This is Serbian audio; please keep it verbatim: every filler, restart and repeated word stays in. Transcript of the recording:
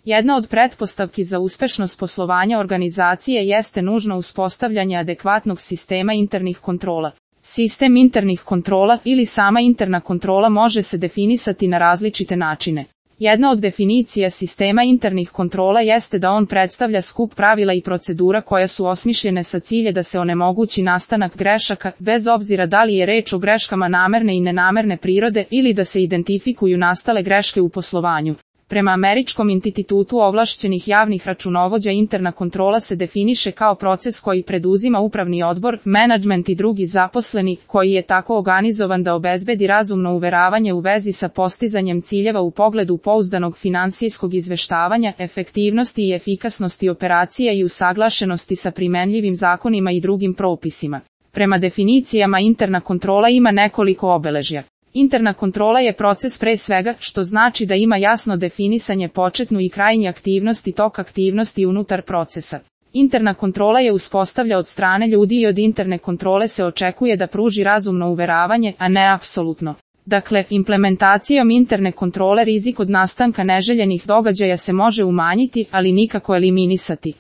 Jedna od pretpostavki za uspešnost poslovanja organizacije jeste nužno uspostavljanje adekvatnog sistema internih kontrola. Sistem internih kontrola ili sama interna kontrola može se definisati na različite načine. Jedna od definicija sistema internih kontrola jeste da on predstavlja skup pravila i procedura koja su osmišljene sa ciljem da se onemogući nastanak grešaka, bez obzira da li je reč o greškama namerne i nenamerne prirode ili da se identifikuju nastale greške u poslovanju. Prema Američkom institutu ovlašćenih javnih računovođa interna kontrola se definiše kao proces koji preduzima upravni odbor, menadžment i drugi zaposleni, koji je tako organizovan da obezbedi razumno uveravanje u vezi sa postizanjem ciljeva u pogledu pouzdanog finansijskog izveštavanja, efektivnosti i efikasnosti operacija i usaglašenosti sa primenljivim zakonima i drugim propisima. Prema definicijama interna kontrola ima nekoliko obeležja. Interna kontrola je proces pre svega, što znači da ima jasno definisanje početnu i krajnje aktivnosti, tok aktivnosti unutar procesa. Interna kontrola je uspostavlja od strane ljudi i od interne kontrole se očekuje da pruži razumno uveravanje, a ne apsolutno. Dakle, implementacijom interne kontrole rizik od nastanka neželjenih događaja se može umanjiti, ali nikako eliminisati.